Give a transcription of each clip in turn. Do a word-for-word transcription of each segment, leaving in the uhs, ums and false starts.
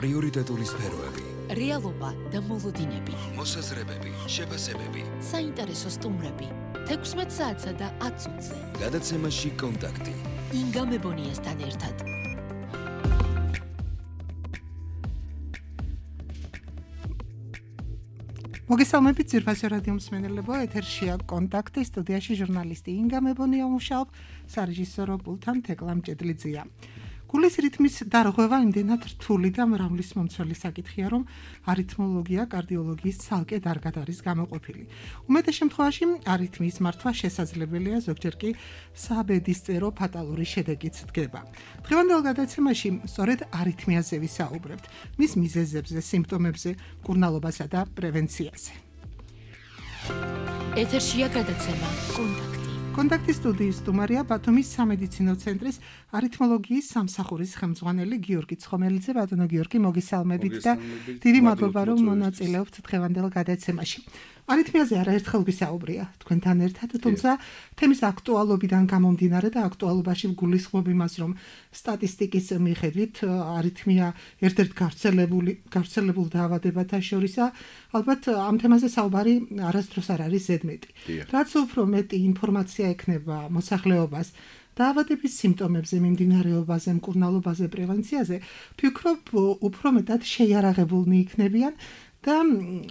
პრიორიტეტული სფეროები, რეალობა და მოლოდინები, მოსაზრებები, შეფასებები, საინტერესო სტუმრები, თექვსმეტ საათსა და ათ წუთზე. გადაცემაში კონტაქტი. ინგა მებონიასთან ერთად. მოგესალმებით ძირფასი რადიო მსმენელებო, ეთერშია კონტაქტი, სტუდიაში ჟურნალისტი ინგა მებონია მუშაობ, სარეჟისორო პულტთან თეკლა მჭედლიძეა. გულის რითმის დარღვევა იმდენად რთული და მრავლის მომცველი საკითხია, რომ არითმოლოგია კარდიოლოგიის ცალკე დარგად არის გამოყოფილი. უმეტეს შემთხვევაში არითმიის მართვა შესაძლებელია, ზოგჯერ კი საბედისწერო ფატალური შედეგიც დგება. დღევანდელ გადაცემაში სწორედ არითმიაზე ვისაუბრებთ, მის მიზეზებზე, სიმპტომებზე, მკურნალობასა და პრევენციაზე. ეთერშია გადაცემა კონტაქტი. კონტაქტის სტუდიის სტუმარია ბათუმის სამედიცინო ცენტრის არითმოლოგიის სამსახურის ხელმძღვანელი გიორგი ცხომელიძე. ბატონო გიორგი, მოგესალმებით და დიდი მადლობა რომ მონაწილეობთ დღევანდელ გადაცემაში. არითმიაზე არაერთხელ ვისაუბრია თქვენთან ერთად, თუმცა თემის აქტუალობიდან გამომდინარე და აქტუალობაში ვგულისხმობ იმას, რომ სტატისტიკის მიხედვით არითმია ერთ-ერთ გავრცელებული გავრცელებულ დაავადებათა შორისაა. ალბათ ამ თემაზე საუბარი არასდროს არ არის ზედმეტი. რაც უფრო მეტი ინფორმაცია ექნება მოსახლეობას დაავადების სიმპტომებზე, მიმდინარეობაზე, მკურნალობაზე, პრევენციაზე, ვფიქრობ, უფრო მეტად შეიარაღებულნი იქნებიან და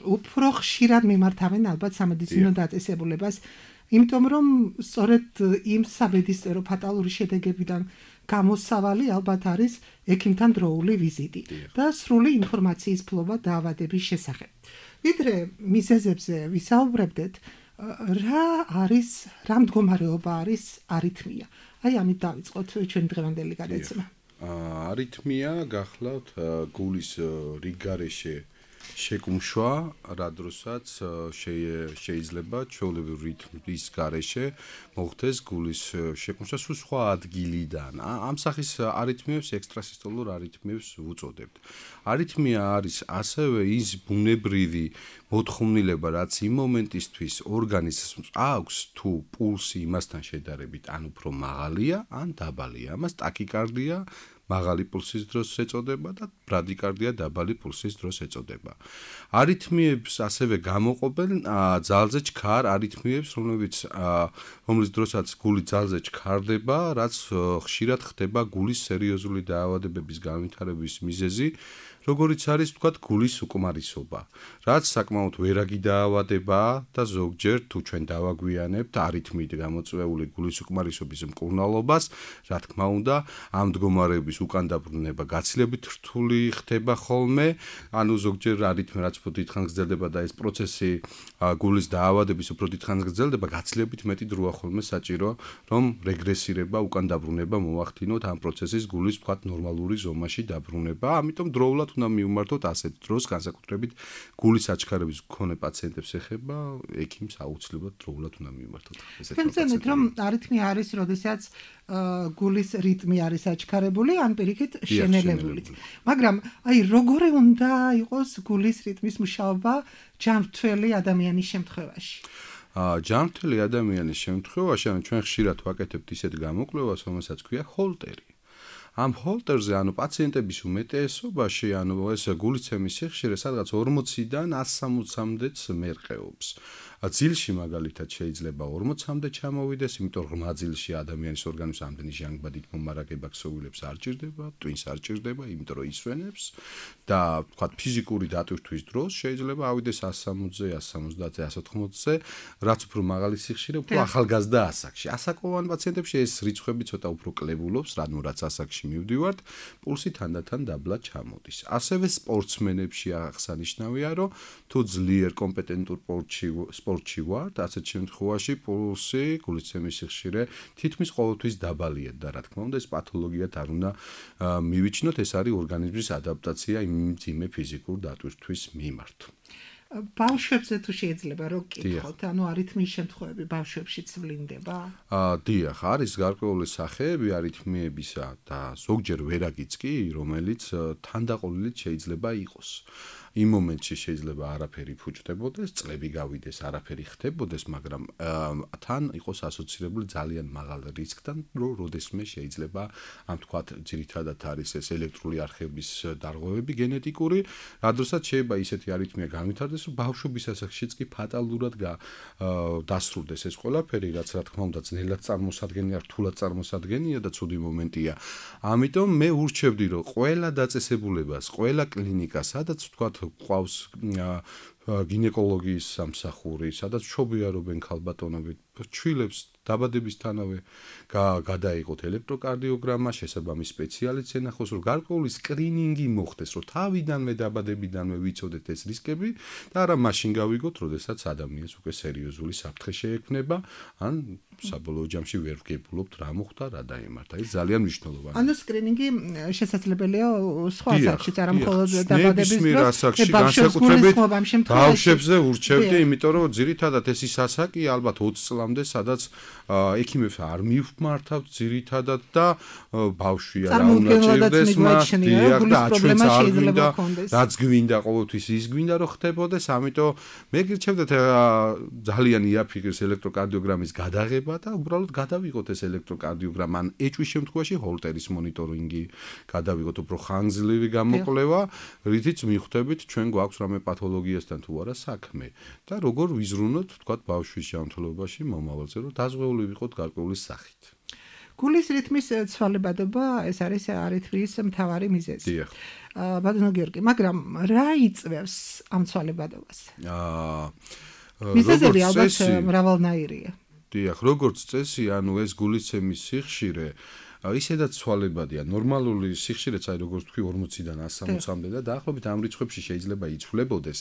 უფრო ხშირად მიმართავენ ალბათ სამედიცინო დაწესებულებას, იმიტომ რომ სწორედ იმ საბედისწერო ფატალური შედეგებიდან გამოსავალი ალბათ არის ექიმთან დროული ვიზიტი და სრული ინფორმაციის ფლობა დაავადების შესახებ. ვიდრე მიზეზებზე ვისაუბრებდეთ, რა არის, რა მდგომარეობა არის არითმია? აი ამით დავიწყოთ ჩვენ დღევანდელი გადაცემა. არითმია გახლავთ გულის რიგგარეშე შეკუმშვა, რა დროსაც შეიძლება ჩვეულებრივ რითმის გარეშე მოხდეს გულის შეკუმშვა სულ სხვა ადგილიდან. ამ სახის არითმიებს ექსტრასისტოლურ არითმიებს ვუწოდებთ. არითმია არის ასევე ის ბუნებრივი მოთხოვნილება, რაც იმ მომენტისთვის ორგანიზმს აქვს, თუ პულსი იმასთან შედარებით ან უფრო მაღალია, ან დაბალია. ამას ტაკიკარდია მაღალი პულსის დროს ეწოდება და ბრადიკარდია დაბალი პულსის დროს ეწოდება. არითმიებს ასევე გამოყოფენ ძალზე ჩქარ არითმიებს, რომლებიც რომლის დროსაც გული ძალზე ჩქარდება, რაც ხშირად ხდება გულის სერიოზული დაავადებების განვითარების მიზეზი, როგორიც არის თქვათ გულის უკმარისობა, რაც საკმაოდ ვერაგი დაავადებაა და ზოგჯერ თუ ჩვენ დავაგვიანებთ არითმიით გამოწვეული გულის უკმარისობის მკურნალობას, რა თქმა უნდა, ამ მდგომარეობის უკან დაბრუნება გაცილებით რთული ხდება ხოლმე, ანუ ზოგჯერ არითმია რაც უფრო დიდხანს გრძელდება და ეს პროცესი გულის დაავადების უფრო დიდხანს გრძელდება, გაცილებით მეტი დროა ხოლმე საჭირო, რომ რეგრესირება, უკან დაბრუნება მოახდინოთ ამ პროცესის გულის თქვათ ნორმალური ზომაში დაბრუნება, ამიტომ დროულად უნდა მივმართოთ ასეთ დროს, განსაკუთრებით გულის აჩქარების მქონე პაციენტებს ეხება, ექიმს აუცილებლად დროულად უნდა მივმართოთ. თქვენცენით რომ არითმია არის, როდესაც გულის რიტმი არის აჩქარებული, ან პირიქით შენელებული. მაგრამ აი როგორი უნდა იყოს გულის რიტმის მუშაობა ჯანმრთელი ადამიანის შემთხვევაში? ჯანმრთელი ადამიანის შემთხვევაში, ანუ ჩვენ ხშირად ვაკეთებთ ისეთ გამოკვლევას, რომელსაც ქვია ჰოლტერი. ამ ჰოლტერზე, ანუ პაციენტების უმეტესობაში, ანუ ეს გულისცემის სიხშირე სადღაც ორმოციდან ას სამოცამდეც მერყეობს. ძილში მაგალითად შეიძლება ორმოცამდე ჩამოვიდეს, იმიტომ რომ ძილში ადამიანის ორგანიზმს ამდენი ჟანგბადით მომარაგება ქსოვილებს არ ჭირდება, ტვინს არ ჭირდება, იმიტომ რომ ისვენებს და თქვათ ფიზიკური დატვირთვის დროს შეიძლება ავიდეს ას სამოცზე, ას სამოცდაათზე, ას ოთხმოცზე, რაც უფრო მაღალი სიხშირე, უფრო ახალგაზრდა ასაკში. ასაკოვან პაციენტებში ეს რიცხვები ცოტა უფრო კლებულობს, რადგან რაც ასაკში მივდივართ, პულსი თანდათან დაბლა ჩამოდის. ასევე სპორტსმენებში აღსანიშნავია, რომ თუ ძლიერ კომპეტენტურ სპორტში ვართ, ასეთ შემთხვევაში პულსი, გულისცემის სიხშირე თითქმის ყოველთვის დაბალია და რა თქმა უნდა ეს პათოლოგიად არ უნდა მივიჩნოთ, ეს არის ორგანიზმის ადაპტაცია იმ მძიმე ფიზიკურ დატვირთვის მიმართ. ბავშვებზე თუ შეიძლება რომ გკითხოთ, ანუ არითმიის შემთხვევები ბავშვებშიც ვლინდება? აა, დიახ, არის გარკვეული სახეები არითმიებისა და ზოგჯერ ვერაგიც კი, რომელიც თანდაყოლილით შეიძლება იყოს. იმ მომენტში შეიძლება არაფერი ფუჭდებოდეს, წლები გავიდეს, არაფერი ხდებოდეს, მაგრამ თან იყოს ასოცირებული ძალიან მაღალ რისკთან, რომ როდესმე შეიძლება ამ თქვათ ძირითადად არის ეს ელექტრული არხების დარღვევები გენეტიკური, რადგანაც შეიძლება ისეთი არითმია განვითარდეს, რომ ბავშვობის ასაკშიც კი ფატალურად დასრულდეს ეს ყველაფერი, რაც რა თქმა უნდა ძნელად წარმოსადგენია, რთულად წარმოსადგენია და ცუდი მომენტია. ამიტომ მე ურჩევდი, რომ ყველა დაწესებულებას, ყველა კლინიკას, სადაც თქვათ ყავს გინეკოლოგიის სამსახური, სადაც ჩობიარობენ ქალბატონები, ჩვილებს დაბადებისთანავე გადაიღოთ ელექტროკარდიოგრამა, შესაბამის სპეციალისტს ენახოს, რომ გარკვეული სკრინინგი მოხდეს, რომ თავიდანვე დაბადებიდანვე ვიცოდეთ ეს რისკები და არა მაშინ გავიგოთ, როდესაც ადამიანს უკვე სერიოზული საფრთხე შეექმნება, ან საბოლოო ჯამში ვერ ვგებულობთ რა მოხდა, რა დაემართა. ეს ძალიან მნიშვნელოვანია. ანუ სკრინინგი შესაძლებელია სხვა ასაკშიც, არა მხოლოდ დაბადების დროს, განსაკუთრებით ბავშვებზე ურჩევდი, იმიტომ რომ ძირითადად ეს ის ასაკია ალბათ ოცი წლამდე, სადაც ექიმებს არ მივმართავთ ძირითადად და ბავშვია რა უნდა ჭირდეს მას, და ჩვენც არ გვინდა, რაც გვინდა ყოველთვის ის გვინდა რომ ხდებოდეს, ამიტომ მე გირჩევდეთ ძალიან იაფიღეს ელექტროკარდიოგრამის გადაღება და უბრალოდ გადავიღოთ ეს ელექტროკარდიოგრამა, ან ეჭვის შემთხვევაში ჰოლტერის მონიტორინგი გადავიღოთ, უფრო ხანგრძლივი გამოკვლევა, რითიც მიხვდებით ჩვენ გვაქვს რამე პათოლოგიასთან თუ არა საქმე და როგორ ვიზრუნოთ თქვათ ბავშვის ჯანმრთელობაში მომავალზე, რომ დაზღვეული ვიყოთ გარკვეული სახით. გულის რითმის ცვალებადობა ეს არის არითმიის მთავარი მიზეზი. დიახ. ბატონო გიორგი, მაგრამ რა იწვევს ამ ცვალებადობას? აა მიზეზები ალბათ მრავალნაირია. დიახ, როგორც წესი, ანუ ეს გულისცემის სიხშირე ისედაც ცვალებადია. ნორმალური სიხშირეც აი როგორც თქვი ორმოციდან ასი სამოცამდე და დაახლოებით ამ რიცხვებში შეიძლება იცვლებოდეს,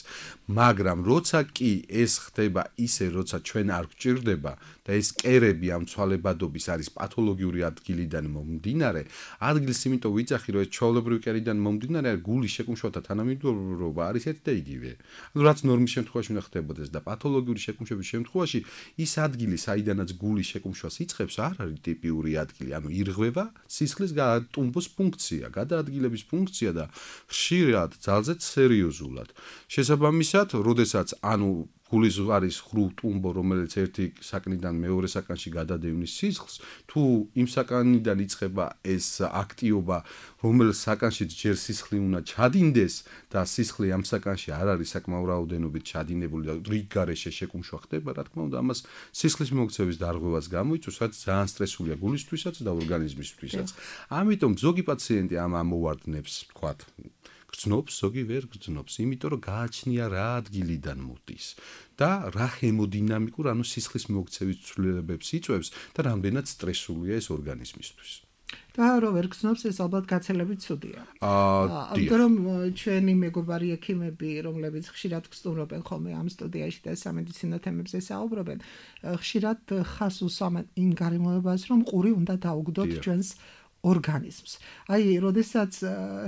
მაგრამ როცა კი ეს ხდება ისე, როცა ჩვენ არ გვჭირდება და ეს კერები ამ ცვალებადობის არის პათოლოგიური ადგილიდან მომდინარე, ადგილს იმიტომ ვიძახი, რომ ეს ჩვეულებრივი კერიდან მომდინარე, გულის შეკუმშვათა თანამედროვეობა არის ერთი და იგივე. ანუ რაც ნორმის შემთხვევაში უნდა ხდებოდეს და პათოლოგიური შეკუმშვების შემთხვევაში ის ადგილი, საიდანაც გულის შეკუმშვას იწყებს, არ არის ტიპიური ადგილი, ანუ ირღვევა სისხლის ტუმბოს ფუნქცია, გადაადგილების ფუნქცია და ხშირად ძალზედ სერიოზულად. შესაბამისად, როდესაც ანუ გულის არის ხრუ ტუმბო, რომელიც ერთი საკნიდან მეორე საკანში გადადევნის სისხლს, თუ იმ საკანიდან იწყება ეს აქტიობა, რომელიც საკანშიც ჯერ სისხლი უნდა ჩადინდეს და სისხლი ამ საკანში არ არის საკმაო რაოდენობით ჩადინებული და რიგ გარეშე შეკუმშვა ხდება, რა თქმა უნდა, ამას სისხლის მიმოქცევის დარღვევას გამოიწვევს, რაც ძალიან სტრესულია გულისთვისაც და ორგანიზმისთვისაც. ამიტომ ზოგი პაციენტი ამ ამოვარდნებს, თქვათ, გრძნობს, ზოგი ვერ გრძნობს, იმიტომ რომ გააჩნია რა ადგილიდან მოდის და რა ჰემოდინამიკურ, ანუ სისხლის მიმოქცევის ცვლილებებს იწვევს და რამდენად სტრესულია ეს ორგანიზმისთვის. და რო ვერ გრძნობს, ეს ალბათ გაცილებით ცუდია. აა, იმიტომ რომ ჩვენი მეგობარი ექიმები, რომლებიც ხშირად გსტუმრობენ ხოლმე ამ სტუდიაში და სამედიცინო თემებზე საუბრობენ, ხშირად ხას უსვამენ იმ გარემოებას, რომ ყური უნდა დაუგდოთ ჩვენს ორგანიზმს. აი, როდესაც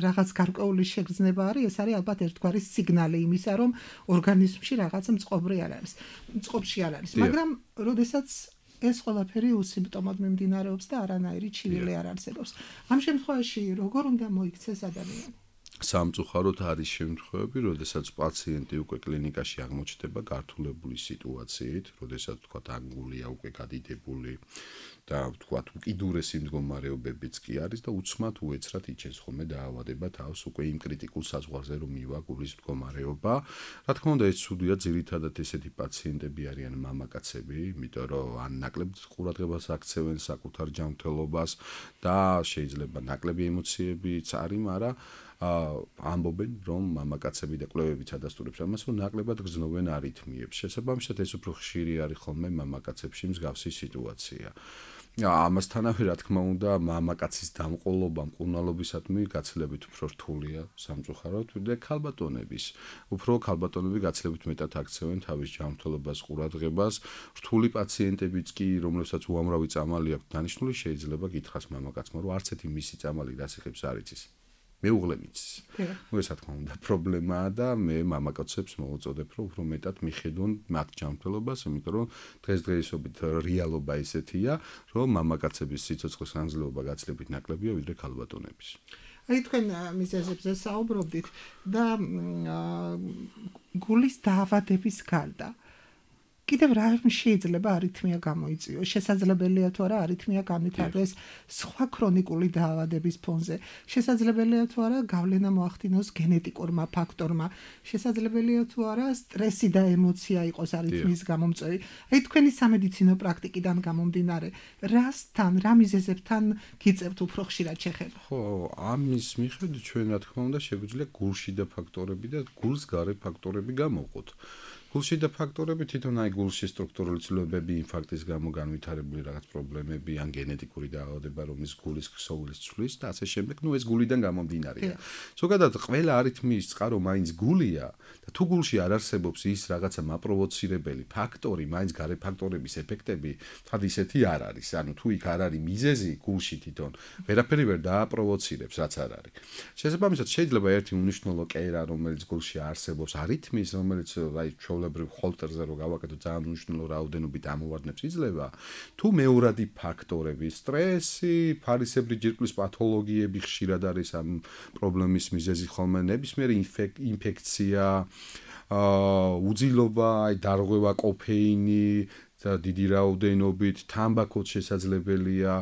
რაღაც გარკვეული შეგრძნება არის, ეს არის ალბათ ერთგვარი სიგნალი იმისა, რომ ორგანიზმში რაღაც მწყობრი არ არის, მწყობში არ არის. მაგრამ როდესაც ეს ყველაფერი უსიმპტომოდ მიმდინარეობს და არანაირი ჩივილი არ არსებობს. ამ შემთხვევაში როგორ უნდა მოიქცეს ადამიანი? სამწუხაროდ არის შემთხვევები, როდესაც პაციენტი უკვე კლინიკაში აღმოჩნდება გართულებული სიტუაციით, როდესაც თქვათ ანგულია უკვე გადიდებული და თქვათ უკიდურესი მდგომარეობებიც კი არის და უცმად უეცრად იჩენს ხოლმე დაავადება თავს უკვე იმ კრიტიკულ საზღვარზე რომ მივა გულის მდგომარეობა. რა თქმა უნდა, ეს ცუდია, ძირითადად ესეთი პაციენტები არიან მამაკაცები, იმიტომ რომ ან ნაკლებ ყურადღებას აქცევენ საკუთარ ჯანმრთელობას და შეიძლება ნაკლები ემოციებიც არის, მაგრამ ამბობენ, რომ მამაკაცები და კვლევებიც ადასტურებს ამას, რომ ნაკლებად გრძნობენ არითმიებს. შესაბამისად, ეს უფრო ხშირი არის ხოლმე მამაკაცებში მსგავსი სიტუაცია. ამასთანავე, რა თქმა უნდა, მამაკაცის დამყოლობა მკურნალობისადმი გაცილებით უფრო რთულია სამწუხაროდ და ქალბატონების. უფრო ქალბატონები გაცილებით მეტად აქცევენ თავის ჯანმრთელობას, ყურადღებას. რთული პაციენტებიც კი, რომლებსაც უამრავი წამალი აქვს დანიშნული, შეიძლება გითხრას მამაკაცმა, რომ არც ერთი მისი წამალი დასიხებს არ იცის. მეუღლე მიცის. ნუ ეს რა თქმა უნდა პრობლემაა და მე მამაკაცებს მოვუწოდებ, რომ უფრო მეტად მიხედონ მათ ჯანმრთელობას, იმიტომ რომ დღესდღეობით რეალობა ესეთია, რომ მამაკაცების სიცოცხლის ხანგრძლივობა გაცილებით ნაკლებია ვიდრე ქალბატონების. აი თქვენ მიზეზებზე საუბრობდით და გულის დაავადების გარდა კიდევ რა შეიძლება არითმია გამოიწვიოს? შესაძლებელია თუ არა არითმია განვითარდეს სხვა ქრონიკული დაავადების ფონზე? შესაძლებელია თუ არა გავლენა მოახდინოს გენეტიკურმა ფაქტორმა? შესაძლებელია თუ არა სტრესი და ემოცია იყოს არითმიის გამომწვევი? აი თქვენი სამედიცინო პრაქტიკიდან გამომდინარე, რასთან, რა მიზეზებთან გიწევთ უფრო ხშირად შეხება? ხო, ამის მიხედვით ჩვენ რა თქმა უნდა შეგვიძლია გულშიდა ფაქტორები და გულს გარე ფაქტორები გამოვყოთ. გულშიდა ფაქტორები თვითონ აი გულში სტრუქტურული ცვლილებები, ინფარქტის გამო განვითარებული რაღაც პრობლემები, ან გენეტიკური დაავადება, რომლის გულის ქსოვილის ცვლის და ასე შემდეგ, ну ეს გულიდან გამომდინარეა. ზოგადად ყველა არითმიის წყარო მაინც გულია და თუ გულში არ არსებობს ის რაღაცა მაპროვოცირებელი ფაქტორი, მაინც გარე ფაქტორების ეფექტები, თად ისეთი არ არის. ანუ თუ იქ არ არის მიზეზი გულში თვითონ, ვერაფერი ვერ დააპროვოცირებს, რაც არ არის. შესაბამისად შეიძლება ერთი უნიშნულო კერა, რომელიც გულში არსებობს, არითმიის, რომელიც აი ჰოლტერზე რო გავაკეთო ძალიან მნიშვნელოვანი რაოდენობით ამოვარდნებს იძლევა თუ მეორადი ფაქტორები სტრესი ფარისებრი ჯირკვლის პათოლოგიები ხშირად არის ამ პრობლემის მიზეზი ხოლმე ნებისმიერი ინფექცია უძილობა აი დარღვევა კოფეინი დიდი რაოდენობით თამბაქოც შესაძლებელია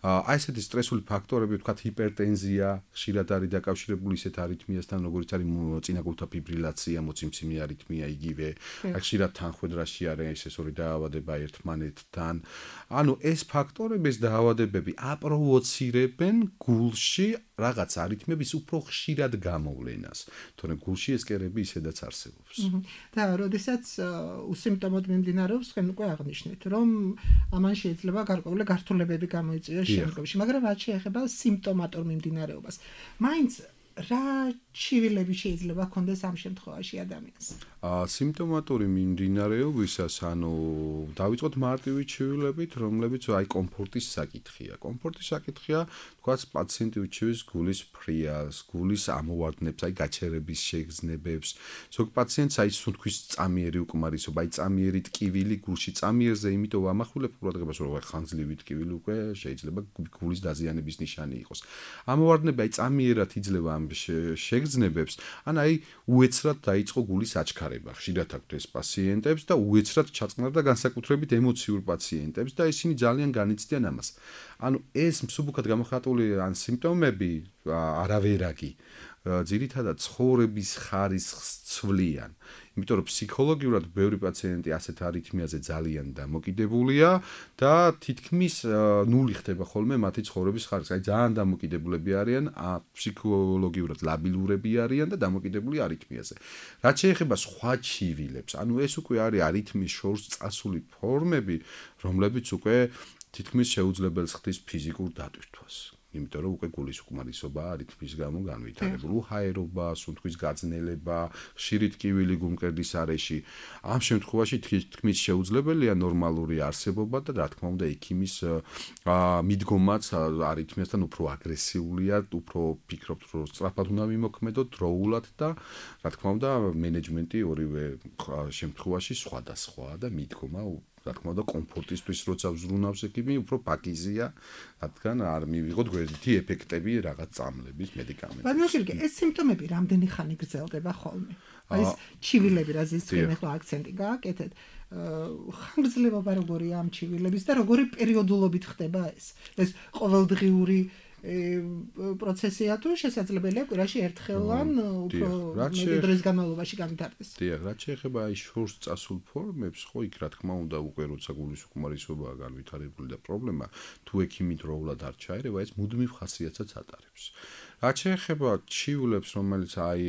აი ესეთი სტრესული ფაქტორები ვთქვათ ჰიპერტენზია ხშირად არის დაკავშირებული ისეთ არითმიასთან როგორც არის წინაგულთა ფიბრილაცია მოციმციმე არითმია იგივე აი ხშირად თანხმედრაში არის ეს ორი დაავადება ერთმანეთთან ანუ ეს ფაქტორები ეს დაავადებები აპროვოცირებენ გულში რაღაც არითმების უფრო ხშირად გამოვლენას თორემ გულში ეს კერები ისედაც არსებობს და როდესაც უსიმპტომოდ მიმდინარეობს თქვენ უკვე აღნიშნეთ რომ ამან შეიძლება გარკვეული გართულებები გამოიწვიოს შემდგომში მაგრამ რაც შეეხება სიმპტომატურ მიმდინარეობას მაინც რა ჩივილები შეიძლება ჰქონდეს ამ შემთხვევაში ადამიანს? აა სიმპტომატური მიმდინარეობისას, ანუ დავიწყოთ მარტივი ჩივილებით, რომლებიც აი კომფორტის საკითხია. კომფორტის საკითხია, თქვათ პაციენტი უჩივის გულის ფრიალს, გულის ამოვარდნებს, აი გაჩერების შეგრძნებებს. ზოგ პაციენტს აი სუნთქვის წამიერი უკმარისობა, აი წამიერი ტკივილი გულში, წამიერზე იმიტომ ვამახვილებ ყურადღებას, რომ ხანძლივი ტკივილი უკვე შეიძლება გულის დაზიანების ნიშანი იყოს. ამოვარდნები აი წამიერად იძლევა ამ შეგრძნებებს, ან აი უეცრად დაიწყო გულის აჩქარება. ხშირად აქვთ ეს პაციენტებს და უეცრად ჩაწყნარდა განსაკუთრებით ემოციურ პაციენტებს და ისინი ძალიან განიცდიან ამას. ანუ ეს მსუბუქად გამოხატული ან სიმპტომები არავერაგი ძირითადად ცხოვრების ხარისხს ცვლიან. იმიტომ რომ ფსიქოლოგიურად ბევრი პაციენტი ასეთ არითმიაზე ძალიან დამოკიდებულია და თითქმის ნული ხდება ხოლმე მათი ცხოვრების ხარისხი. აი ძალიან დამოკიდებულები არიან, ფსიქოლოგიურად ლაბილურები არიან და დამოკიდებული არითმიაზე. რაც შეეხება სხვა ჩივილებს, ანუ ეს უკვე არის არითმიის შორს წასული ფორმები, რომლებიც უკვე თითქმის შეუძლებელს ხდის ფიზიკურ დატვირთვას. იმიტომ რომ უკვე გულის უკმარისობა არითმის გამო განვითარებული უჰაერობა, სუნთქვის გაძნელება, ხშირი ტკივილი გულმკერდის არეში. ამ შემთხვევაში თითქმის შეუძლებელია ნორმალური არსებობა და რა თქმა უნდა ექიმის მიდგომაც არითმიასთან უფრო აგრესიულია, უფრო ფიქრობთ რომ სწრაფად უნდა მიმოქმედოთ დროულად და რა თქმა უნდა მენეჯმენტი ორივე შემთხვევაში სხვადასხვაა და მიდგომა რა თქმა უნდა კომფორტისთვის როცა ვზრუნავს ექიმი უფრო პაკიზია რადგან არ მივიღოთ გვერდითი ეფექტები რაღაც წამლების მედიკამენტების. მაგრამ ეს სიმპტომები რამდენი ხანი გრძელდება ხოლმე? აი ეს ჩივილები რაზეც თქვენ ახლა აქცენტი გააკეთეთ, ხანგრძლივობა როგორია ამ ჩივილების და როგორი პერიოდულობით ხდება ეს? ეს ყოველდღიური პროცესია თუ შესაძლებელია კვირაში ერთხელ ან უფრო მეტი დროის განმავლობაში განვითარდეს. დიახ, რაც შეეხება აი შორს წასულ ფორმებს, ხო იქ რა თქმა უნდა უკვე როცა გულის უკმარისობაა განვითარებული და პრობლემა თუ ექიმი დროულად არ ჩაერევა, ეს მუდმივ ხასიათსაც ატარებს. რაც შეეხება ჩივილებს, რომელიც აი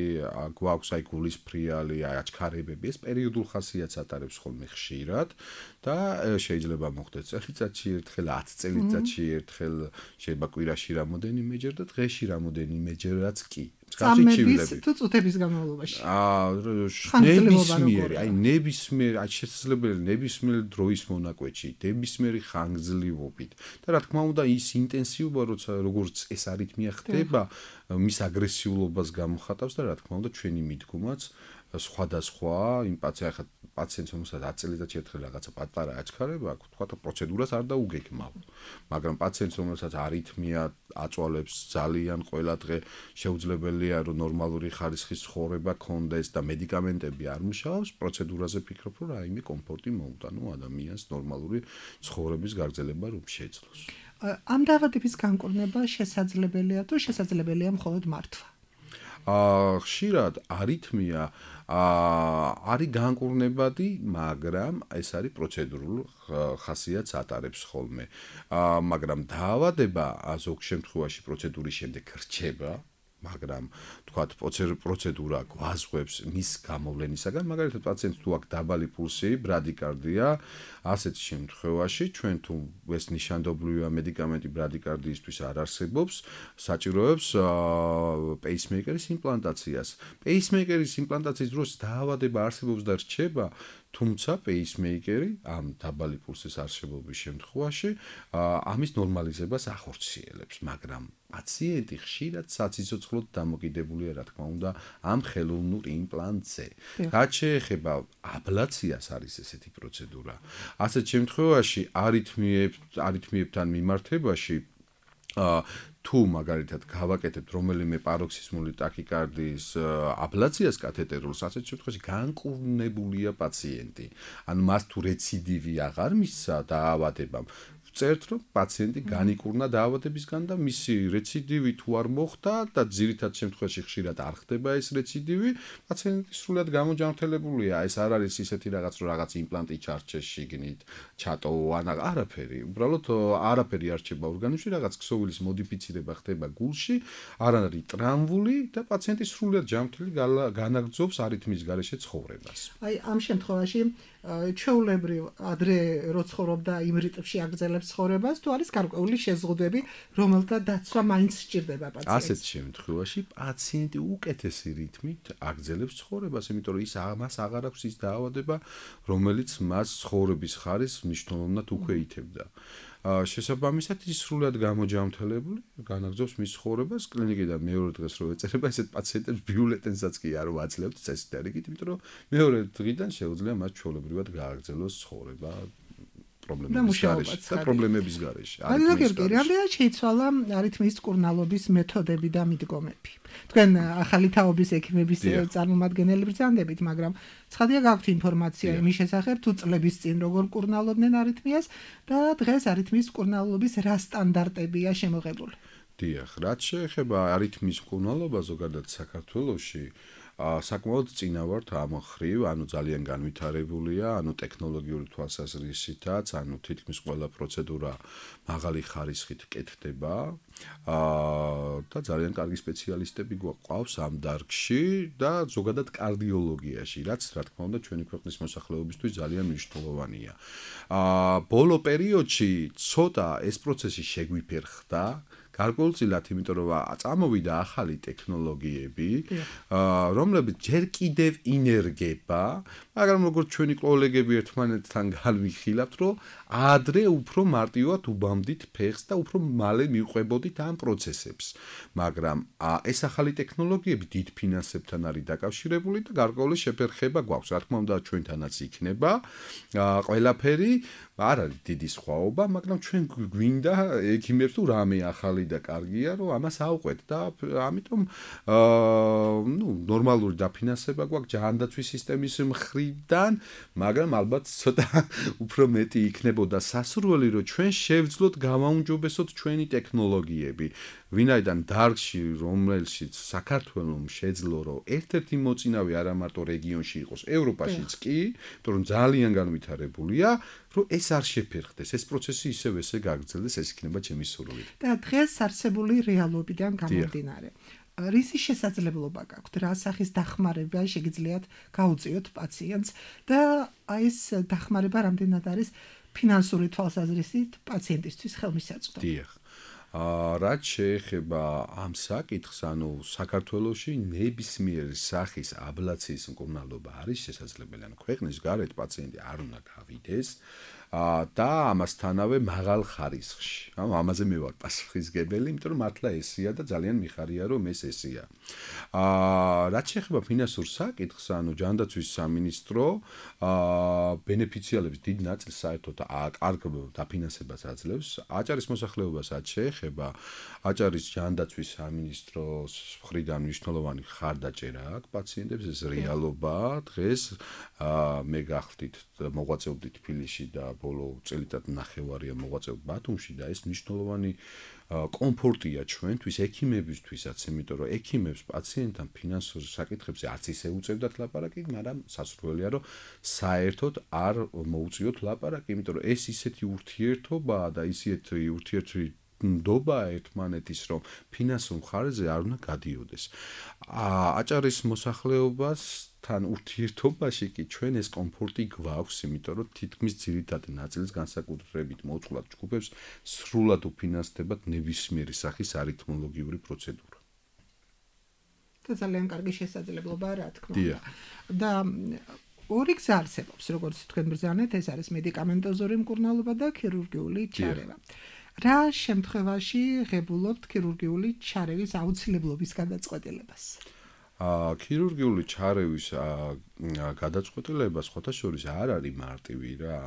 გვაქვს აი გულის ფრიალი, აი აჩქარებები, ეს პერიოდულ ხასიათს ატარებს ხოლმე ხშირად და შეიძლება მოხდეს წელიწადში ერთხელ, ათი წელიწადში ერთხელ, შეიძლება კვირაში რამოდენიმეჯერ და დღეში რამოდენიმეჯერაც კი. წამების თუ წუთების განმავლობაში. აა ნებისმიერი, აი ნებისმიერი, აი შესაძლებელი ნებისმიერი დროის მონაკვეთში, ნებისმიერი ხანგრძლივობით და რა თქმა უნდა ის ინტენსივობა, როცა როგორც ეს არითმია ხდება, მის აგრესიულობას გამოხატავს და რა თქმა უნდა ჩვენი მიდგომაც სხვადასხვა იმ პაციენტს ახლა პაციენტს რომელსაც ათი წელიწადში ერთხელ რაღაცა პატარა აჩქარება აქვს თქვა პროცედურას არ დაუგეგმავ მაგრამ პაციენტს რომელსაც არითმია აწვალებს ძალიან ყველა დღე შეუძლებელია რომ ნორმალური ხარისხის ცხოვრება ქონდეს და მედიკამენტები არ მუშაობს პროცედურაზე ფიქრობ რომ რაიმე კომფორტი მოუტანო ადამიანს ნორმალური ცხოვრების გაგრძელება რომ შეძლოს ამ დაავადების განკურნება შესაძლებელია თუ შესაძლებელია მხოლოდ მართვა აა ხშირად არითმია აა არის განკურნებადი, მაგრამ ეს არის პროცედურულ ხასიათს ატარებს ხოლმე. აა მაგრამ დაავადება ზოგ შემთხვევაში პროცედურის შემდეგ რჩება, მაგრამ თქვათ პროცედურა გვაზღვევს მის გამოვლენისაგან, მაგალითად პაციენტს თუ აქვს დაბალი პულსი, ბრადიკარდია, ასეთ შემთხვევაში ჩვენ თუ ეს ნიშანდობლივია მედიკამენტი ბრადიკარდიისთვის არ არსებობს, საჭიროებს პეისმეიკერის იმპლანტაციას. პეისმეიკერის იმპლანტაციის დროს დაავადება არსებობს და რჩება, თუმცა პეისმეიკერი ამ დაბალი პულსის არსებობის შემთხვევაში ამის ნორმალიზებას ახორციელებს, მაგრამ პაციენტი ხშირად საციცოცხლოდ დამოკიდებულია, რა თქმა უნდა, ამ ხელოვნურ იმპლანტზე. რაც შეეხება აბლაციას არის ესეთი პროცედურა. ასეთ შემთხვევაში არითმიებთან მიმართებაში თუ მაგალითად გავაკეთებთ რომელიმე პაროქსისმული ტაქიკარდიის აბლაციას კათეტერულს, ასეთ შემთხვევაში განკურნებულია პაციენტი. ანუ მას თუ რეციდივი აღარ მისცა დაავადებამ, წერთ რომ პაციენტი განიკურნა დაავადებისგან და მისი რეციდივი თუ არ მოხდა და ძირითად შემთხვევაში ხშირად არ ხდება ეს რეციდივი, პაციენტი სრულად გამოჯანმრთელებულია. ეს არ არის ისეთი რაღაც რომ რაღაც იმპლანტი ჩარჩეს შიგნით, ჩატოვა ან არაფერი. უბრალოდ არაფერი არ რჩება ორგანიზმში, რაღაც ქსოვილის მოდიფიცირება ხდება გულში, არ არის ტრამვული და პაციენტი სრულად ჯანმრთელი განაგრძობს არითმიის გარეშე ცხოვრებას. აი ამ შემთხვევაში ჩვეულებრივ ადრე რო ცხოვრობდა იმ რიტმში აგრძელებს ცხოვრებას, თუ არის გარკვეული შეზღუდვები, რომელთა დაცვა მაინც სჭირდება პაციენტს. ასეთ შემთხვევაში პაციენტი უკეთესი რიტმით აგრძელებს ცხოვრებას, იმიტომ რომ ის მას აღარ აქვს ის დაავადება, რომელიც მას ცხოვრების ხარისხს მნიშვნელოვნად უქვეითებდა. შესაბამისად ის სრულად გამოჯანმრთელებული განაგრძობს მის ცხოვრებას კლინიკიდან მეორე დღეს რო ეწერება ესეთ პაციენტებს ბიულეტენსაც კი არ ვაძლევთ წესით და რიგით, იმიტომ რომ მეორე დღიდან შეუძლია მას ჩვეულებრივად გააგრძელოს ცხოვრება პრობლემების გარეშე და პრობლემების გარეშე. ანუ გიორგი, რამდენად შეიცვალა არითმიის მკურნალობის მეთოდები და მიდგომები? თქვენ ახალი თაობის ექიმების წარმომადგენელი ბრძანდებით, მაგრამ ცხადია გაქვთ ინფორმაცია იმის შესახებ, თუ წლების წინ როგორ მკურნალობდნენ არითმიას და დღეს არითმიის მკურნალობის რა სტანდარტებია შემოღებული? დიახ, რაც შეეხება არითმიის მკურნალობა ზოგადად საქართველოში, საკმაოდ წინა ვართ ამ ხრივ, ანუ ძალიან განვითარებულია, ანუ ტექნოლოგიური თვალსაზრისითაც, ანუ თითქმის ყველა პროცედურა მაღალი ხარისხით კეთდება და ძალიან კარგი სპეციალისტები გვაყავს ამ დარგში და ზოგადად კარდიოლოგიაში, რაც რა თქმა უნდა ჩვენი ქვეყნის მოსახლეობისთვის ძალიან მნიშვნელოვანია. ბოლო პერიოდში ცოტა ეს პროცესი შეგვიფერხდა, გარკვეულწილად, იმიტომ რომ წამოვიდა ახალი ტექნოლოგიები, რომლებიც ჯერ კიდევ ინერგება, მაგრამ როგორც ჩვენი კოლეგები ერთმანეთთან განვიხილავთ, რომ ადრე უფრო მარტივად უბამდით ფეხს და უფრო მალე მივყვებოდით ამ პროცესებს. მაგრამ ეს ახალი ტექნოლოგიები დიდ ფინანსებთან არის დაკავშირებული და გარკვეული შეფერხება გვაქვს. რა თქმა უნდა, ჩვენთანაც იქნება ყველაფერი, არ არის დიდი სხვაობა, მაგრამ ჩვენ გვინდა ექიმებს თუ რამე ახალი და კარგია, რომ ამას ავყვეთ და ამიტომ ნუ ნორმალური დაფინანსება გვაქვს ჯანდაცვის სისტემის მხრიდან, მაგრამ ალბათ ცოტა უფრო მეტი იქნებოდა სასურველი, რომ ჩვენ შევძლოთ გავაუმჯობესოთ ჩვენი ტექნოლოგიები. ვინაიდან დარგში, რომელშიც საქართველოს შეძლო, რომ ერთ-ერთი მოწინავე არა მარტო რეგიონში იყოს, ევროპაშიც კი, იმიტომ რომ ძალიან განვითარებულია, რომ ეს არ შეფერხდეს, ეს პროცესი ისევ ესე გაგრძელდეს, ეს იქნება ჩემი სურვილი. და დღეს არსებული რეალობიდან გამომდინარე, რისი შესაძლებლობა გაქვთ, რა სახის დახმარება შეგიძლიათ გაუწიოთ პაციენტს და ეს დახმარება რამდენად არის ფინანსური თვალსაზრისით პაციენტისთვის ხელმისაწვდომი? დიახ. რაც შეეხება ამ საკითხს, ანუ საქართველოში ნებისმიერი სახის აბლაციის მკურნალობა არის შესაძლებელი. ანუ ქვეყნის გარეთ პაციენტი არ უნდა გავიდეს. და ამასთანავე მაღალ ხარისხში. ანუ ამაზე მე ვარ პასუხისგებელი, იმიტომ რომ მართლა ესია და ძალიან მიხარია რომ ეს ესია. აა რაც შეეხება ფინანსურ საკითხს, ანუ ჯანდაცვის სამინისტრო აა ბენეფიციალების დიდ ნაწილს საერთოდ კარგ დაფინანსებას აძლევს. აჭარის მოსახლეობასაც შეეხება აჭარის ჯანდაცვის სამინისტროს მხრიდან მნიშვნელოვანი ხარდაჭერა აქვს პაციენტებს, ეს რეალობაა. დღეს აა მე გახდით მოღვაწეობდით თბილისში და ბოლო წელიწად ნახევარია მოღვაწეობ ბათუმში და ეს მნიშვნელოვანი კომფორტია ჩვენთვის, ექიმებისთვისაც, იმიტომ რომ ექიმებს პაციენტთან ფინანსურ საკითხებზე არც ისე უწევდათ ლაპარაკი, მაგრამ სასურველია რომ საერთოდ არ მოუწიოთ ლაპარაკი, იმიტომ რომ ეს ისეთი ურთიერთობაა და ისეთი ურთიერთი ნდობა ერთმანეთის, რომ ფინანსურ მხარეზე არ უნდა გადიოდეს. აჭარის მოსახლეობას თან ურთიერთობაში კი ჩვენ ეს კომფორტი გვაქვს, იმიტომ რომ თითქმის ძირითადი ნაწილის განსაკუთრებით მოწყვლად ჯგუფებს სრულად უფინანსდებათ ნებისმიერი სახის არითმოლოგიური პროცედურა. და ძალიან კარგი შესაძლებლობაა, რა თქმა უნდა. და ორი გზა არსებობს, როგორც თქვენ ბრძანეთ, ეს არის მედიკამენტოზური მკურნალობა და ქირურგიული ჩარევა. რა შემთხვევაში ღებულობთ ქირურგიული ჩარევის აუცილებლობის გადაწყვეტილებას? აა ქირურგიული ჩარევის გადაწყვეტილება სხვათა შორის არ არის მარტივი რა.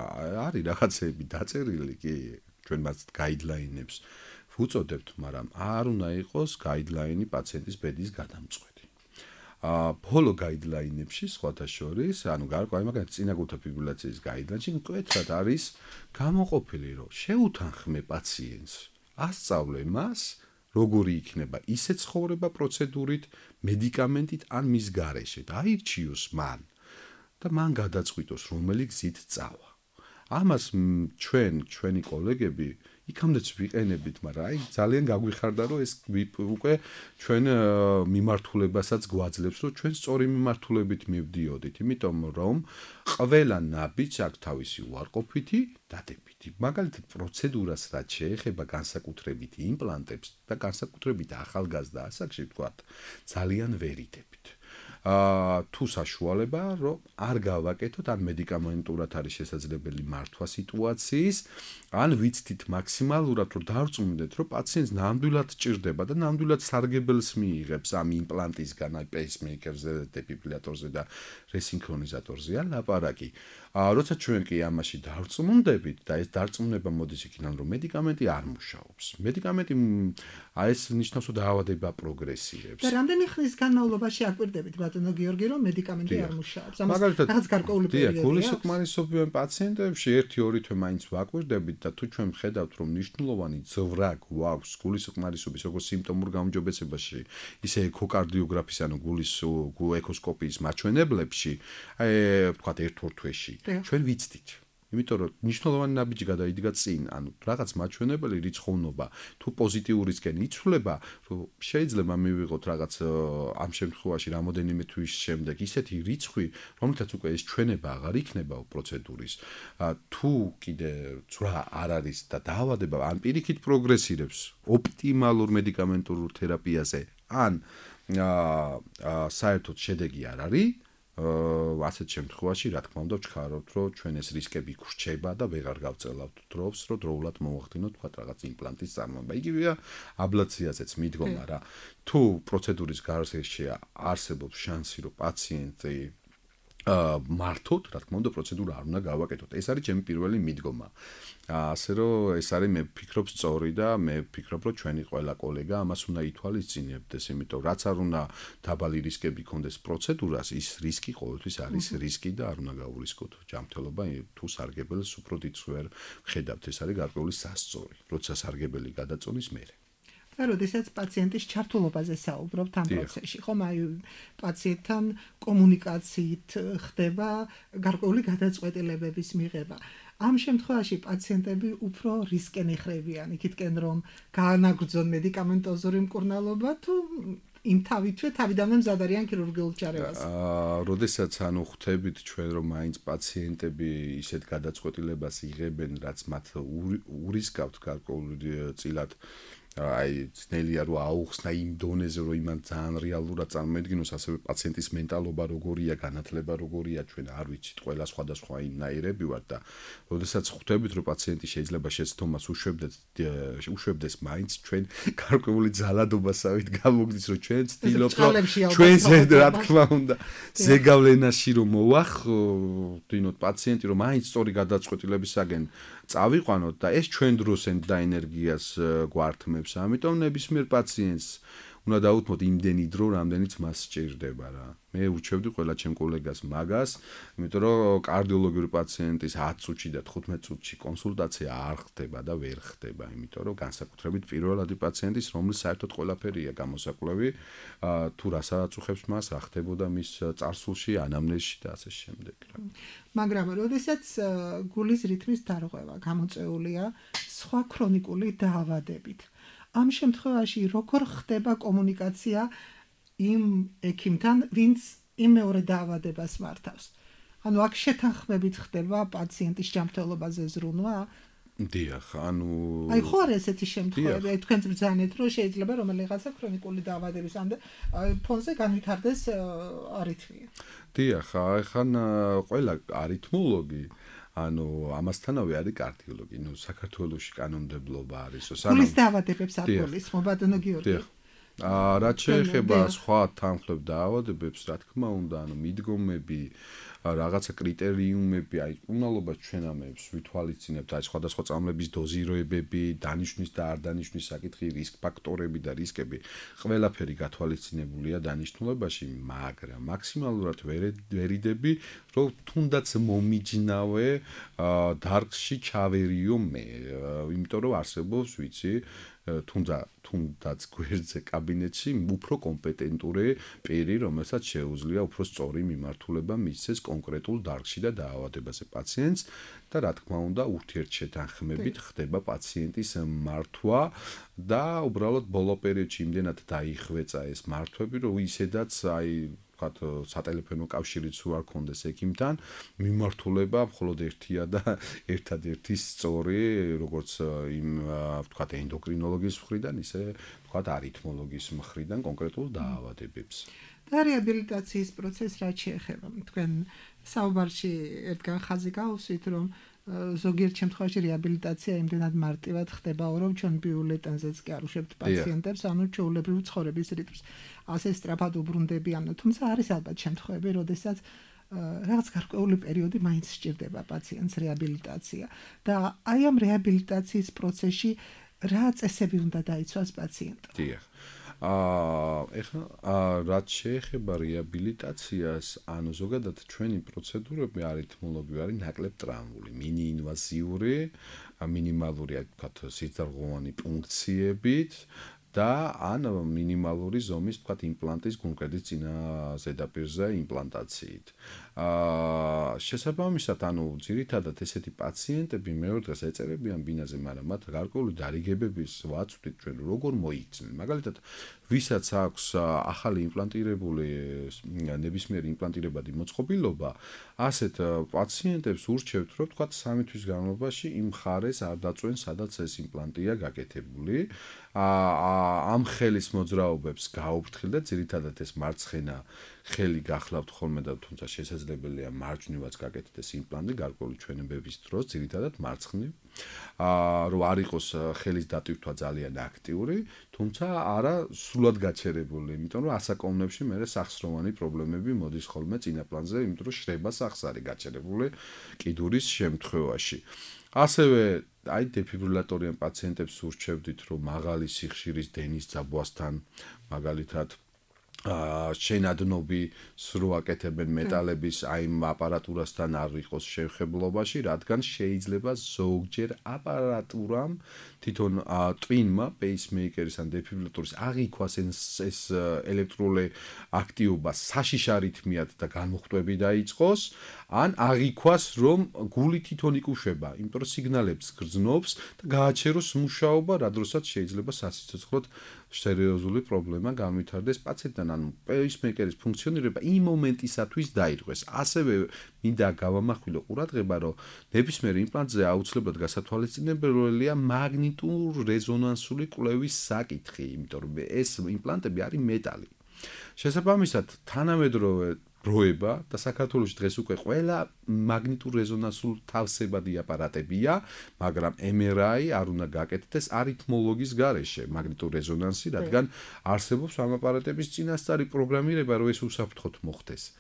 არის რაღაცები დაწერილი კი ჩვენ მას გაიდლაინებს ვუწოდებთ, მაგრამ არ უნდა იყოს გაიდლაინი პაციენტის ბედის გადამწყვეტი. აა ბოლო გაიდლაინებში სხვათა შორის, ანუ გარკვეული მაგალითად წინაგულთა ფიბრილაციის გაიდლაინში მკვეთრად არის გამოყოფილი, რომ შეუთანხმე პაციენტს, ასწავლე მას როგორი იქნება ისე ცხოვრება პროცედურით, მედიკამენტით ან მის გარეშე და აირჩიოს მან და მან გადაწყვიტოს რომელი გზით წავა. ამას ჩვენ, ჩვენი კოლეგები იქამდეც ვიყენებით, მაგრამ აი ძალიან გაგვიხარდა რომ ეს უკვე ჩვენ მიმართულებასაც გვაძლევს, რომ ჩვენ სწორი მიმართულებით მივდიოდით, იმიტომ რომ ყველა ნაბიჯს აქვს თავისი უარყოფითი დადებითი. მაგალითად პროცედურას რაც შეეხება განსაკუთრებით იმპლანტებს და განსაკუთრებით ახალგაზრდა ასაკში ვთქვათ, ძალიან ვერიდებით. აა თუ საშუალება რომ არ გავაკეთოთ ან მედიკამენტურად არის შესაძლებელი მართვა სიტუაციის, ან ვიცით მაქსიმალურად რომ დავწუნდეთ რომ პაციენტს ნამდვილად ჭირდება და ნამდვილად სარგებელს მიიღებს ამ იმპლანტისგან, აი პეისმეიკერზე, დეფიბრილატორზე და რესინქრონიზატორზეა ლაპარაკი. აა როცა ჩვენ კი ამაში დავწუნდებით და ეს დარწმუნება მოდის იქიდან რომ მედიკამენტი არ მუშაობს. მედიკამენტი აი ეს ნიშნავს რომ დაავადება პროგრესირებს. და რამდენი ხნის განმავლობაში აკვირდებით ბატონო გიორგი რომ მედიკამენტი არ მუშაობს? ამას რაღაც გარკვეული პერიოდი აქვს? გულისხმობიან პაციენტებში ერთი-ორი თვე მაინც ვაკვირდებით და თუ ჩვენ ვხედავთ რომ მნიშვნელოვანი ძვრა გვაქვს გულისხმარისობის როგორც სიმპტომურ გაუმჯობესებაში, ისე ეკოკარდიოგრაფის ანუ გულის ეკოსკოპიის მაჩვენებლებში, აი ვთქვათ ერთ-ორ თვეში ჩვენ ვიცდით. იმიტომ რომ მნიშვნელოვანი ნაბიჯი გადაიდგა წინ, ანუ რაღაც მაჩვენებელი რიცხოვნობა თუ პოზიტიურისკენ იცვლება, რომ შეიძლება მივიღოთ რაღაც ამ შემთხვევაში რამოდენიმე თვის შემდეგ ისეთი რიცხვი, რომელთაც უკვე ეს ჩვენება აღარ იქნება პროცედურის. თუ კიდე ძვრა არ არის და დაავადება ან პირიქით პროგრესირებს ოპტიმალურ მედიკამენტურ თერაპიაზე, ან აა საერთოდ შედეგი არ არის, ასეთ შემთხვევაში რა თქმა უნდა ვჩქარობთ რომ ჩვენ ეს რისკები გრჩება და ვეღარ გავწელავთ დროს რომ დროულად მოვახდინოთ თქვა რაღაც იმპლანტის წარმოება. იგივეა აბლაციაზეც მიდგომა რა. თუ პროცედურის გარშე არსებობს შანსი რომ პაციენტი აა მართოთ, რა თქმა უნდა პროცედურა არ უნდა გავაკეთოთ. ეს არის ჩემი პირველი მიდგომა. ასე რომ ეს არის მე ვფიქრობ სწორი და მე ვფიქრობ რომ ჩვენი ყველა კოლეგა ამას უნდა ითვალისწინებდეს, იმიტომ რაც არ უნდა დაბალი რისკები ქონდეს პროცედურას, ის რისკი ყოველთვის არის რისკი და არ უნდა გაურისკოთ ჯანმრთელობა თუ სარგებელს უფრო დიდს ვერ ხედავთ. ეს არის გარკვეული სასწორი, როცა სარგებელი გადაწონის მერე. და როდესაც პაციენტის ჩართულობაზე საუბრობთ ამ პროცესში, ხომ აი პაციენტთან კომუნიკაციით ხდება გარკვეული გადაწყვეტილებების მიღება. ამ შემთხვევაში პაციენტები უფრო რისკენ ეხრებიან, იქითკენ რომ გაანაგრძონ მედიკამენტოზური მკურნალობა თუ იმ თავითვე თავიდანვე მზად არიან ქირურგიულ ჩარევას. აა, როდესაც ანუ ხვდებით ჩვენ რომ მაინც პაციენტები ისეთ გადაწყვეტილებას იღებენ, რაც მათ ურისკავთ გარკვეული წილად აი ძნელია რომ აუხსნა იმ დონეზე რომ იმან ძალიან რეალურად წარმოედგინოს ასევე პაციენტის მენტალობა როგორია განათლება როგორია ჩვენ არ ვიცით ყველა სხვადასხვა იმნაირები ვარ და როდესაც ხვდებით რომ პაციენტი შეიძლება შეცდომას უშვებდეს უშვებდეს მაინც ჩვენ გარკვეული ძალადობასავით გამოგდის რომ ჩვენ ვცდილობთ რომ ჩვენ რა თქმა უნდა ზეგავლენაში რომ მოვახდინოთ პაციენტი რომ მაინც სწორი გადაწყვეტილებისაგან წავიყვანოთ და ეს ჩვენ დროს და ენერგიას გვართმევს. ამიტომ ნებისმიერ პაციენტს უნდა დაუთმოთ იმდენი დრო, რამდენიც მას სჭირდება რა. მე ურჩევდი ყველა ჩემ კოლეგას მაგას, იმიტომ რომ კარდიოლოგიური პაციენტის ათი წუთში და თხუთმეტ წუთში კონსულტაცია არ ხდება და ვერ ხდება, იმიტომ რომ განსაკუთრებით პირველადი პაციენტის, რომლის საერთოდ ყველაფერია გამოსაკვლევი, თუ რასაც უხებს მას, რა ხდებოდა მის წარსულში, ანამნეზში და ასე შემდეგ რა. მაგრამ როდესაც გულის რითმის დარღვევა გამოწვეულია სხვა ქრონიკული დაავადებით, ამ შემთხვევაში როგორ ხდება კომუნიკაცია იმ ექიმთან, ვინც იმ მეორე დაავადებას მართავს? ანუ აქ შეთანხმებით ხდება პაციენტის ჯანმრთელობაზე ზრუნვა? დიახ, ანუ აი ხო არის ესეთი შემთხვევები, აი თქვენც ბრძანეთ, რომ შეიძლება რომელიღაცა ქრონიკული დაავადების ფონზე განვითარდეს არითმია. დიახ, აი ხან ყველა არითმოლოგი ანუ ამასთანავე არის კარდიოლოგი, ნუ საქართველოში კანონმდებლობა არის, სანამ გულის დაავადებებს არ გულისხმობ, ბატონო გიორგი. აა რაც შეეხება სხვა თანხმლებ დაავადებებს, რა თქმა უნდა, ანუ მიდგომები, რაღაცა კრიტერიუმები, აი უნალობას ჩვენ ამებს ვითვალისწინებთ, აი სხვადასხვა წამლების დოზიროებები, დანიშნვის და არ დანიშნვის საკითხი, რისკ ფაქტორები და რისკები, ყველაფერი გათვალისწინებულია დანიშნულებაში, მაგრამ მაქსიმალურად ვერიდები, რომ თუნდაც მომიჯნავე დარგში ჩავერიო მე, იმიტომ რომ არსებობს, ვიცი, თუნდა თუნდაც გვერდზე კაბინეტში უფრო კომპეტენტური პირი, რომელსაც შეუძლია უფრო სწორი მიმართულება მისცეს კონკრეტულ დარგში და დაავადებაზე პაციენტს და რა თქმა უნდა ურთიერთშეთანხმებით ხდება პაციენტის მართვა და უბრალოდ ბოლო პერიოდში იმდენად დაიხვეწა ეს მართვები, რომ ისედაც აი სატელეფონო კავშირიც არ კონდეს ექიმთან, მიმართულება მხოლოდ ერთია და ერთადერთი სწორი, როგორც იმ ვთქვათ ენდოკრინოლოგის მხრიდან, ისე ვთქვათ არითმოლოგის მხრიდან კონკრეტულ დაავადებებს. და რეაბილიტაციის პროცესს რაც შეეხება, თქვენ საუბარში ერთგან ხაზი გაუსვით, რომ ზოგიერთ შემთხვევაში რეაბილიტაცია იმდენად მარტივად ხდება, რომ ჩვენ ბიულეტენზეც კი არ უშვებთ პაციენტებს, ანუ ჩვეულებრივ ცხოვრების რიტმს ასე სწრაფად უბრუნდებიან, თუმცა არის ალბათ შემთხვევები, როდესაც რაღაც გარკვეული პერიოდი მაინც სჭირდება პაციენტს რეაბილიტაცია და აი ამ რეაბილიტაციის პროცესში რა წესები უნდა დაიცვას პაციენტმა? დიახ. აა ეხლა რაც შეეხება რეაბილიტაციას, ანუ ზოგადად ჩვენი პროცედურები არითმოლოგიური არის ნაკლებ ტრამვული, მინი ინვაზიური, მინიმალური, ვთქვათ, სიძარღვოვანი პუნქციებით და ან მინიმალური ზომის, ვთქვათ, იმპლანტის კონკრეტის წინა ზედაპირზე იმპლანტაციით. აა შესაბამისად, ანუ ძირითადად ესეთი პაციენტები მეორე დღეს ეწერებიან ბინაზე, მაგრამ მათ გარკვეული დარიგებების ვაწვდით ჩვენ როგორ მოიქცნენ. მაგალითად, ვისაც აქვს ახალი იმპლანტირებული ნებისმიერი იმპლანტირებადი მოწყობილობა, ასეთ პაციენტებს ურჩევთ, რომ ვთქვათ, სამი თვის განმავლობაში იმ მხარეს არ დაწვენ, სადაც ეს იმპლანტია გაკეთებული. აა ამ ხელის მოძრაობებს გაუფრთხილდა, ძირითადად ეს მარცხენა ხელი გახლავთ ხოლმე და თუმცა შესაძლებელია მარჯვნივაც გაკეთდეს იმპლანტი გარკვეული ჩვენებების დროს, ძირითადად მარცხნივ. აა რომ არ იყოს ხელის დატვირთვა ძალიან აქტიური, თუმცა არა სრულად გაჩერებული, იმიტომ რომ ასაკოვნებში მე სახსროვანი პრობლემები მოდის ხოლმე წინა პლანზე, იმიტომ რომ შრება სახს არის გაჩერებული კიდურის შემთხვევაში. ასევე აი დეფიბრილატორიან პაციენტებს ურჩევდით, რომ მაღალი სიხშირის დენის ძაბვასთან მაგალითად აა შენადნობი სრო აკეთებენ მეტალების აი აპარატურასთან არ იყოს შეხებლობაში, რადგან შეიძლება ზოგჯერ აპარატურამ თვითონ ტვინმა პეისმეიკერის ან დეფიბრილატორის აღიქვას ეს ელექტრული აქტივობა საშიშ არითმიად და განმოხტვები დაიწყოს, ან აღიქვას რომ გული თვითონ იკუშვება, იმიტომ რომ სიგნალებს გრძნობს და გააჩეროს მუშაობა, რა დროსაც შეიძლება სასიცოცხლოდ სერიოზული პრობლემა განვითარდეს პაციენტთან, ანუ პეისმეიკერის ფუნქციონირება იმ მომენტისათვის დაირღვეს. ასევე მინდა გავამახვილო ყურადღება, რომ ნებისმიერ იმპლანტზე აუცილებლად გასათვალისწინებელია მაგნიტურ რეზონანსული კვლევის საკითხი, იმიტომ რომ ეს იმპლანტები არის მეტალი. შესაბამისად, თანამედროვე დროება და საქართველოში დღეს უკვე ყველა მაგნიტურ რეზონანსულ თავსებადი აპარატებია, მაგრამ M R I არ უნდა გაკეთდეს არითმოლოგის გარეშე მაგნიტურ რეზონანსი, რადგან არსებობს ამ აპარატების წინასწარი პროგრამირება, რომ ეს უსაფრთხოდ მოხდეს.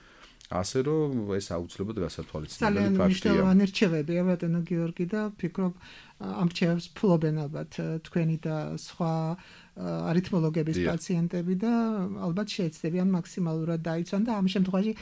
ასე რომ ეს აუცილებლად გასათვალისწინებელი ფაქტია. ძალიან მნიშვნელოვანი რჩევებია ბატონო გიორგი და ვფიქრობ ამ რჩევებს ფლობენ ალბათ თქვენი და სხვა არითმოლოგების პაციენტები და ალბათ შეეცდებიან მაქსიმალურად დაიცვან და ამ შემთხვევაში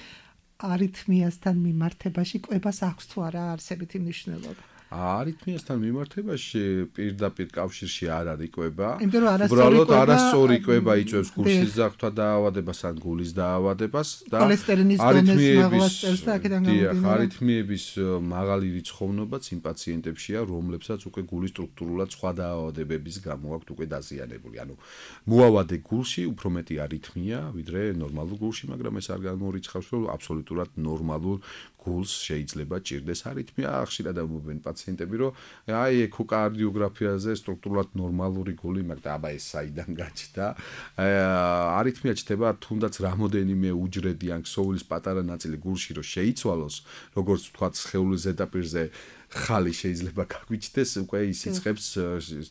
არითმიასთან მიმართებაში კვებას აქვს თუ არა არსებითი მნიშვნელობა. არითმიასთან მიმართებაში პირდაპირ კავშირში არ არის კვება. უბრალოდ არასწორი კვება იწვევს გულსის ზარღვთა დაავადებას ან გულის დაავადებას და ქოლესტერინის დონეს მაღლასწევს და აქედან გამომდინარე. არითმიების მაღალი რიცხოვნობაც იმ პაციენტებშია, რომლებსაც უკვე გულის სტრუქტურულად სხვა დაავადებების გამო აქვთ უკვე დაზიანებული. ანუ მოავადე გულში უფრო მეტი არითმია, ვიდრე ნორმალურ გულში, მაგრამ ეს არ გამორიცხავს, რომ აბსოლუტურად ნორმალურ გულს შეიძლება ჭირდეს არითმია. ხშირად ამბობენ პაციენტები, რომ აი ეკოკარდიოგრაფიაზე სტრუქტურულად ნორმალური გული, მაგრამ აბა ეს საიდან გაჩნდა? არითმია ჩნდება თუნდაც რამოდენიმე უჯრედი ან ქსოვილის პატარა ნაწილი გულში რომ შეიცვალოს, როგორც ვთქვათ, სხეულის ზედაპირზე ხალი შეიძლება გაგვიჩნდეს, უკვე ის იწყებს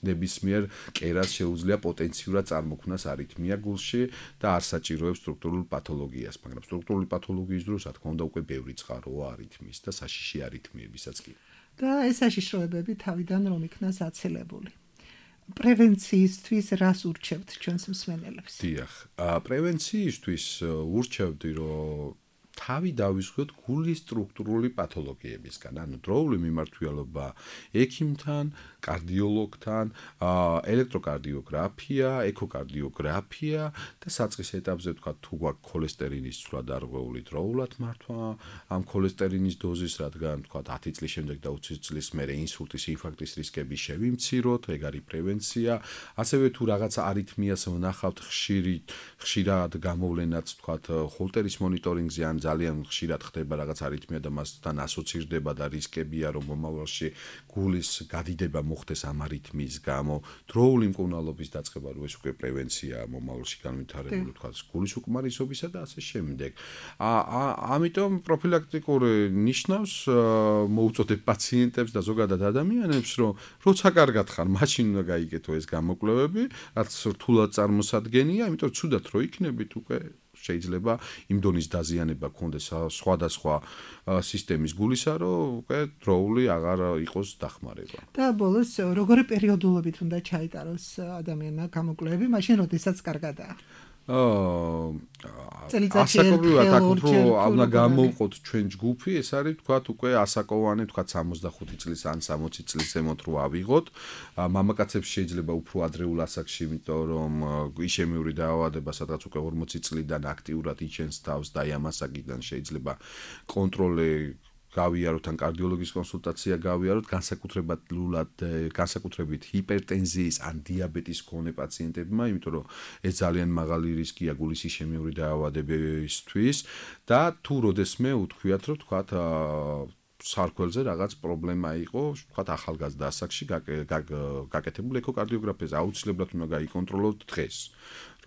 ნებისმიერ კერას შეუძლია პოტენციურად წარმოქმნას არითმია გულში და არ საჭიროებს სტრუქტურულ პათოლოგიას, მაგრამ სტრუქტურული პათოლოგიის დროს, რა თქმა უნდა, უკვე ბევრი წყაროა არითმიის და საშიში არითმიებისაც კი. და ეს საშიშროებები თავიდან რომ იქნას აცილებული. პრევენციისთვის რას ურჩევთ ჩვენს მსმენელებს? დიახ, პრევენციისთვის ურჩევდი, რომ თავი დავისხოთ გულის სტრუქტურული პათოლოგიებისგან, ანუ დროული მიმართულება ექიმთან, კარდიოლოგთან, ელექტროკარდიოგრაფია, ეკოკარდიოგრაფია და საწყის ეტაპზე თქვა თუ გვაქვს ქოლესტერინის ცვლა დარღვეული დროულად მართვა, ამ ქოლესტერინის დოზის, რადგან თქვა ათი წლის შემდეგ და ოცი წლის მერე ინსულტის, ინფარქტის რისკები შევიმციროთ, ეგ არის პრევენცია. ასევე თუ რაღაცა არითმიას ვნახავთ ხშირი, ხშირად გამოვლენაც თქვა ჰოლტერის მონიტორინგზე ან ძალიან ხშირად ხდება რაღაც არითმია და მასთან ასოცირდება და რისკებია რომ მომავალში გულის გადიდება მოხდეს ამ არითმიის გამო, დროული მკურნალობის დაწყება, რომ ეს უკვე პრევენციაა მომავალში განვითარებული თქვა გულის უკმარისობისა და ასე შემდეგ. ამიტომ პროფილაქტიკური ნიშნავს მოუწოდებ პაციენტებს და ზოგადად ადამიანებს, რომ როცა კარგად ხარ, მაშინ უნდა გაიგეთო ეს გამოკვლევები, რაც რთულად წარმოსადგენია, იმიტომ ცუდად რო იქნებით უკვე შეიძლება იმ დონის დაზიანება გქონდეს სხვადასხვა სისტემის გულისა, რომ უკვე დროული აღარ იყოს დახმარება. და ბოლოს როგორი პერიოდულობით უნდა ჩაიტაროს ადამიანმა გამოკვლევები, მაშინ როდესაც კარგადაა? ასაკობრივად აქ უფრო უნდა გამოვყოთ ჩვენ ჯგუფი, ეს არის თქვათ უკვე ასაკოვანი, თქვათ სამოცდახუთი წლის ან სამოცი წლის ზემოთ რო ავიღოთ. მამაკაცებს შეიძლება უფრო ადრეულ ასაკში, იმიტომ რომ იშემიური დაავადება, სადღაც უკვე ორმოცი წლიდან აქტიურად იჩენს თავს და ამ ასაკიდან შეიძლება კონტროლი გავიაროთ ან კარდიოლოგის კონსულტაცია გავიაროთ, განსაკუთრებად განსაკუთრებით ჰიპერტენზიის ან დიაბეტის მქონე პაციენტებმა, იმიტომ რომ ეს ძალიან მაღალი რისკია გულის იშემიური დაავადებისთვის და თუ როდესმე უთქვიათ, რომ თქვათ სარქველზე რაღაც პრობლემა იყო, თქვათ ახალგაზრდა ასაკში გაკეთებული ეკოკარდიოგრაფიაზე აუცილებლად უნდა გაიკონტროლოთ დღეს.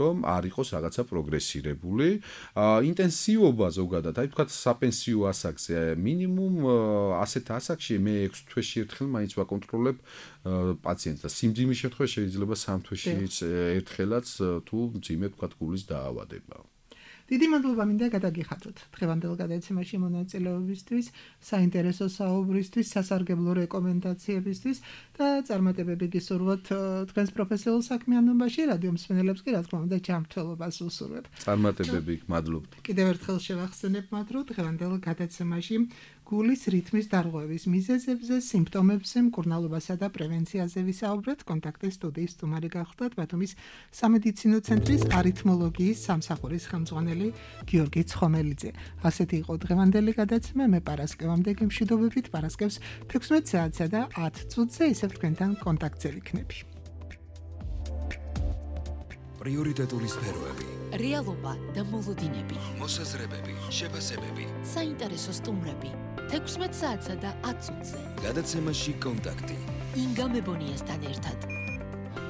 რომ არ იყოს რაღაცა პროგრესირებული. ინტენსივობა ზოგადად, აი თქვათ საპენსიო ასაკზე მინიმუმ ასეთ ასაკში მე ექვსი თვეში ერთხელ მაინც ვაკონტროლებ პაციენტს და სიმძიმის შემთხვევაში შეიძლება სამ თვეში ერთხელაც თუ მძიმე თქვათ გულის დაავადება. დიდი მადლობა მინდა გადაგიხადოთ დღევანდელ გადაცემაში მონაწილეობისთვის, საინტერესო საუბრისთვის, სასარგებლო რეკომენდაციებისთვის და წარმატებები გისურვოთ თქვენს პროფესიულ საქმიანობაში, რადიო მსმენელებს კი რა თქმა უნდა ჯანმრთელობას უსურვებ. წარმატებები, მადლობთ. კიდევ ერთხელ შევახსენებ მათ, რომ დღევანდელ გადაცემაში გულის რითმის დარღვევის მიზეზებზე, სიმპტომებზე, მკურნალობასა და პრევენციაზე ვისაუბრეთ. კონტაქტის სტუდიის სტუმარი გახლდათ ბათუმის სამედიცინო ცენტრის არითმოლოგიის სამსახურის ხელმძღვანელი გიორგი ცხომელიძე. ასეთი იყო დღევანდელი გადაცემა. მე პარასკევამდე გემშვიდობებით, პარასკევს თექვსმეტ საათსა და ათ წუთზე ისევ თქვენთან კონტაქტზე ვიქნები. პრიორიტეტული სფეროები, რეალობა და მოლოდინები, მოსაზრებები, შეფასებები, საინტერესო სტუმრები, თექვსმეტ საათსა და ათ წუთზე. გადაცემაში კონტაქტი. ინგა მებონიასთან ერთად.